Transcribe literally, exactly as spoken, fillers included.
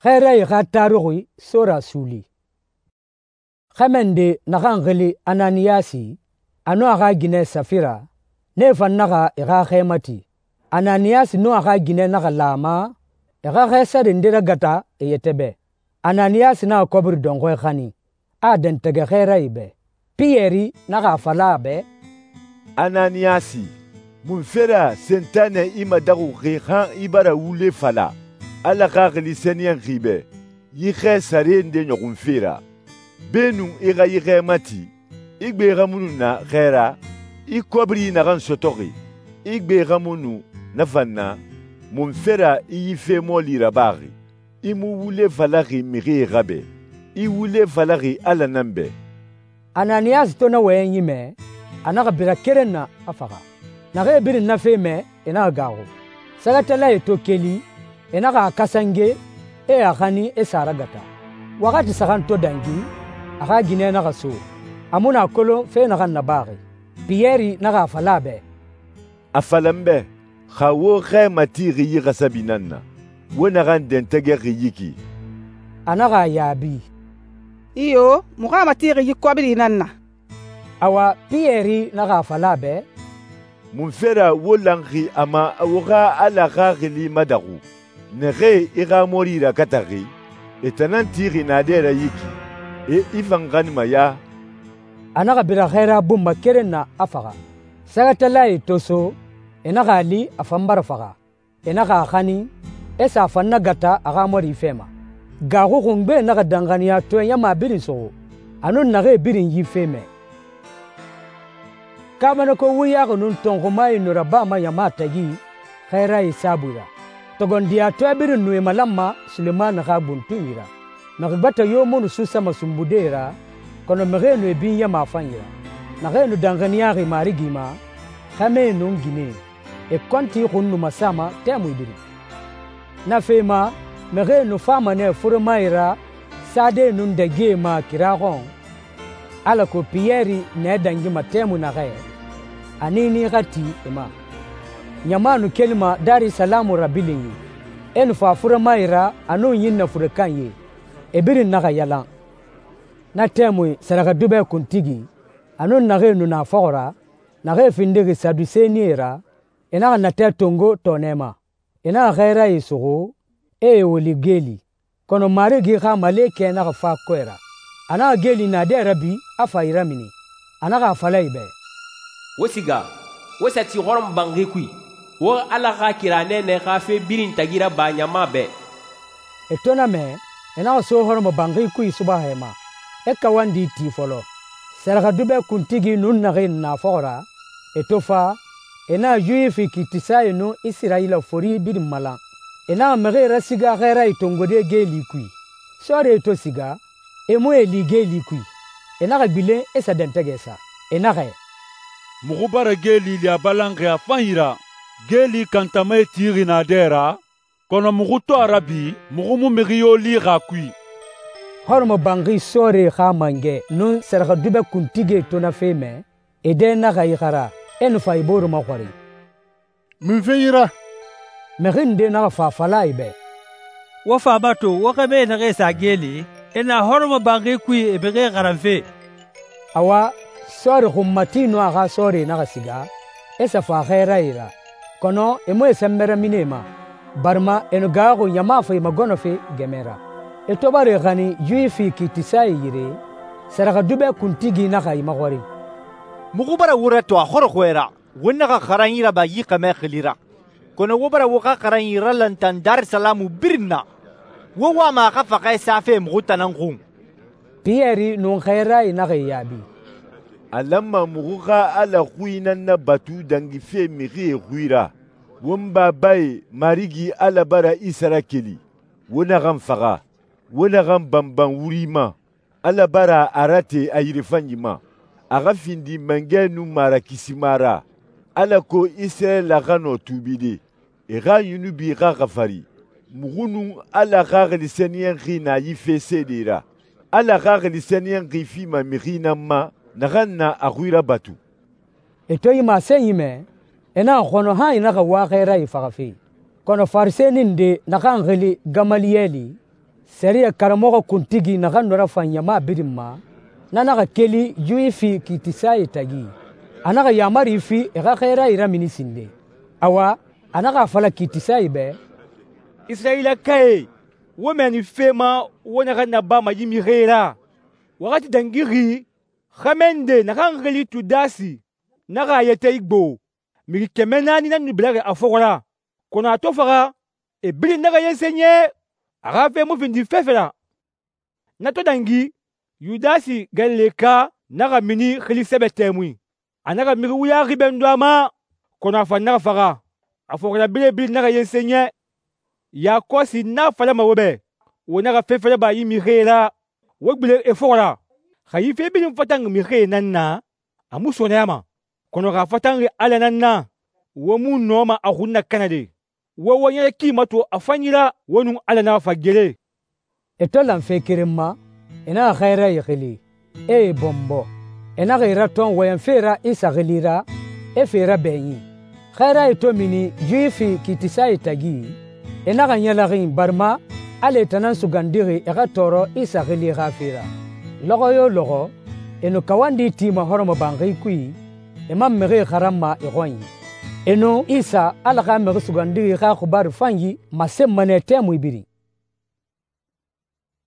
Xɛɛrayi xa taruxi sora suuli. Xɛmɛ nde naxan xili Ananiyasi, a nun a xa ginɛ Safira, nee fan naxa e xa xɛ mati. Ananiyasi nun a xa ginɛ naxa la a ma e xa xɛ sare nde ragata e yɛtɛ bɛ. Ananiyasi naxa kɔbiri dɔnxɔɛ xanin, a a dɛntɛgɛ xɛɛrayi bɛ. Piyɛri naxa a fala a bɛ, «Ananiyasi, munfe ra Sentanɛ i madaxuxi han i bara wule fala Ala Xaxili Sɛniyɛnxi bɛ yi xɛ sare nde ɲɔxunfe ra? Beenun i xa yi xɛ mati, i gbe xa mu nu na xɛ ra, i kɔbiri naxan sɔtɔxi, i gbe xa mu nu na fan na, munfe ra i yi fe mɔɔli rabaxi? I mu wule falaxi mixie xa bɛ, i wule falaxi Ala nan bɛ.» Ananiyasi to na wɔyɛnyi mɛ, a naxa bira keren na, a faxa. Naxee birin na fe mɛ, e naxa gaaxu. Sɛgɛtalae to keli, e naxa a kasange, e a xanin, e sa a ragata. Waxati saxan to dangi, a xa ginɛ naxa so. A mu nu a kolon fe naxan nabaxi. Piyɛri naxa a fala a bɛ, «A fala n bɛ, xa wo xɛ matixi yi xasabi nan na, wo naxan dɛntɛgɛxi yi ki?» A naxa a yaabi, «Iyo, muxu a matixi yi kɔbiri nan na.» Awa, Piyɛri naxa a fala a bɛ, «Munfe ra wo lanxi a ma wo xa Ala Xaxili madaxu? Naxee i xa mɔri rakataxi, e tan nan tixi naadɛ ra yi ki, e i fan xanima ya?» A naxa bira xɛɛra bun ma keren na, a faxa. Sɛgɛtalae to so, e naxa a li a fan bara faxa. E naxa a xanin, e sa a fan nagata a xa mɔri fɛ ma. Gaaxu xungbe naxa danxaniya tɔɛ ɲama birin suxu, a nun naxee birin yi fe mɛ. Kaabanako wuyaxi nun tɔnxumae nu rabama ɲama tagi xɛɛrayi saabui ra. Tɔgɔndiyatɔɛ birin nu e malanma Sulemani xa buntunyi ra. Mixi gbɛtɛ yo mu nu susama sunbude ra, kɔnɔ mixie nu e binyama a fanyi ra. Naxee nu danxaniyaxi Marigi ma, xɛmɛe nun ginɛe, e kɔnti xun nu masama tɛmui birin. Na fe ma, mixie nu fama nɛ furemae ra sade nun dɛgie ma kira xɔn, alako Piyɛri nɛ dangima tɛmui naxɛ, a niini xa ti e ma. Ɲama nu kelima Darisalamu rabilinyi, e nu fa furemae ra a nun ɲinnɛ furekanye, e birin naxa yalan. Na tɛmui sɛrɛxɛdubɛ kuntigi, a nun naxee nu na fɔxɔ ra, naxee findixi Sadusenie ra, e naxa natɛ tongo tɔɔnɛ ma. E naxa xɛɛrayi suxu, e e woli geeli, kɔnɔ Marigi xa malekɛ naxa fa kɔɛ ra. A naxa geeli naadɛ rabi, a fa e ramini. A naxa a fala e bɛ, «Wo siga, wo sa ti hɔrɔmɔbanxi kui, wo Ala xa kira nɛɛnɛ xa fe birin tagi raba ɲama bɛ.» E to na mɛ, e naxa so hɔrɔmɔbanxi kui subaxɛ ma, e kawandi ti fɔlɔ. Sɛrɛxɛdubɛ kuntigi nun naxee na fɔxɔ ra, e to fa, e naxa Yuwifi kiitisae nun Isirayila fori birin malan. E naxa mixie rasiga xɛɛrayi tongode geeli kui. Sɔɔrie to siga, e mu e li geeli kui. E naxa gbilen e sa dɛntɛgɛ sa. E naxɛ, «Muxu bara geeli li a balanxi a fanyi ra, geeli kantamae tixi naadɛ ra, kɔnɔ muxu to a ra bi, muxu mu mixi yo lixi a kui.» Hɔrɔmɔbanxi sɔɔrie xa mangɛ nun sɛrɛxɛdubɛ kuntigie to na fe mɛ, e dɛ naxa ixara, e nu fa e bore maxɔrin, «Munfe yi ra?» Mixi nde naxa fa a fala e bɛ, «Wo faama to wo xɛmɛe naxee sa geeli, e na hɔrɔmɔbanxi kui e mixie xaranfe.» Awa, sɔɔri xunmati nun a xa sɔɔrie naxa siga, e sa fa xɛɛrayi ra, kɔnɔ e mu e sɛnbɛrɛmini e ma, barima e nu gaaxu ɲama fa e magɔnɔfe gɛmɛ ra. E to bara e xanin Yuwifi kiitisae yire, sɛrɛxɛdubɛ kuntigi naxa e maxɔrin, «Muxu bara wo rato a xɔrɔxɔɛ ra, wo naxa xaranyi raba yi xɛmɛ xili ra, kɔnɔ wo bara wo xa xaranyi ralantan Darisalamu birin na. Wo wama a xa faxɛ safe muxu tan nan xun.» Piyɛri nun xɛɛrayi naxa e yaabi, «A lanma muxu xa Ala xui nan nabatu dangife mixie xui ra. Won babae Marigi Ala bara Isa rakeli, wo naxan faxa, wo naxan banban wuri ma. Ala bara a rate a yirefanyi ma, a xa findi mangɛ nun marakisima ra, alako Isirayila xa nɔ tuubide, e xa yunubi xa xafari. Muxu nun Ala Xaxili Sɛniyɛnxi na yi fe seede ra. Ala Xaxili Sɛniyɛnxi fima mixi nan ma, naxan na a xui rabatu.» E to yi masenyi mɛ, e naxa xɔnɔ han e naxa wa xɛɛrayi faxafe. Kɔnɔ Farisɛni nde naxan xili Gamaliyɛli, Sɛriyɛ karamɔxɔ kuntigi naxan nu rafan ɲama birin ma, na naxa keli Yuwifi kiitisae tagi. A naxa yaamari fi e xa xɛɛrae ramini sinden. Awa, a naxa a fala kiitisae bɛ, «Isirayilakae, wo mɛɛni fe ma wo naxan nabama yi mixie ra. Waxati dangixi, xɛmɛ nde naxan xili Tudasi naxa a yɛtɛ igbo. Mixi kɛmɛ naani nan nu biraxi a fɔxɔ ra, kɔnɔ a to faxa, e birin naxa yensen yɛ, a xa fe mu findi fefe ra. Na to dangi, Yudasi Galileka naxa mini xili sɛbɛ tɛmui. A naxa mixi wuyaxi bɛndun a ma, kɔnɔ a fan naxa faxa. A fɔxirabirɛe birin naxa yensen yɛ. Yakɔsi n a falama wo bɛ, wo naxa fefe raba yi mixie ra, wo gbilen e fɔxɔ ra. Xa yi fe birin fatanxi mixie nan na, a mu sɔɔnɛyama. Kɔnɔ xa a fatanxi Ala nan na, wo mu nɔma a xun nakanade. Wo wo ɲɛrɛ ki mato a fanyi ra, wo nun Ala naxa fa gere.» E to lan fe keren ma, e naxa xɛɛrae xili, e e bɔnbɔ. E naxa e ratɔn wɔyɛnfe ra Isa xili ra, e fe rabɛɲin. Xɛɛrae to mini Yuwifi kiitisae tagi, e naxa ɲɛlɛxin barima ala e tan nan sugandixi e xa tɔɔrɔ Isa xili xa fe ra. Lɔxɔ yo lɔxɔ, e nu kawandi tima hɔrɔmɔbanxi kui, e man mixie xaranma e xɔnyi. E nu Isa, Ala xa Mixi Sugandixi xa xibaaru fanyi masenma nɛ tɛmui birin.